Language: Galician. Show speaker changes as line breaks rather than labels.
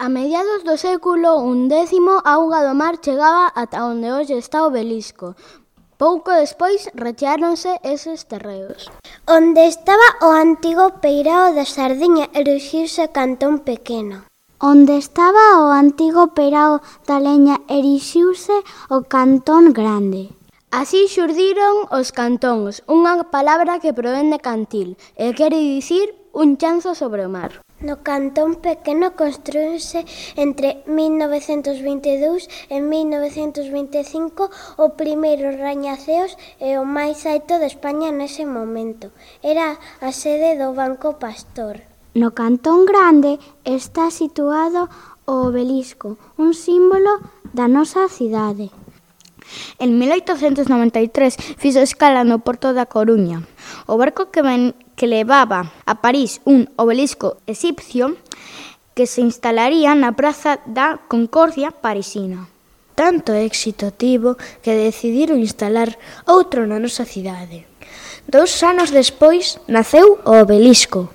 A mediados do século X, a auga do mar chegaba ata onde hoxe está o obelisco. Pouco despois recheáronse eses terreos.
Onde estaba o antigo peirao da Sardiña erixiuse Cantón Pequeno.
Onde estaba o antigo peirao da Leña erixiuse o Cantón Grande.
Así xurdiron os cantóns, unha palabra que provén de cantil e quere dicir un chanzo sobre o mar.
No Cantón Pequeno construíuse entre 1922 e 1925 o primeiro rañaceos e o máis alto de España nese momento. Era a sede do Banco Pastor.
No Cantón Grande está situado o obelisco, un símbolo da nosa cidade.
En 1893 fixo escala no porto da Coruña. O barco que levaba a París un obelisco exipcio que se instalaría na Praza da Concordia parisina. Tanto éxito tivo que decidiron instalar outro na nosa cidade. 2 anos despois naceu o obelisco.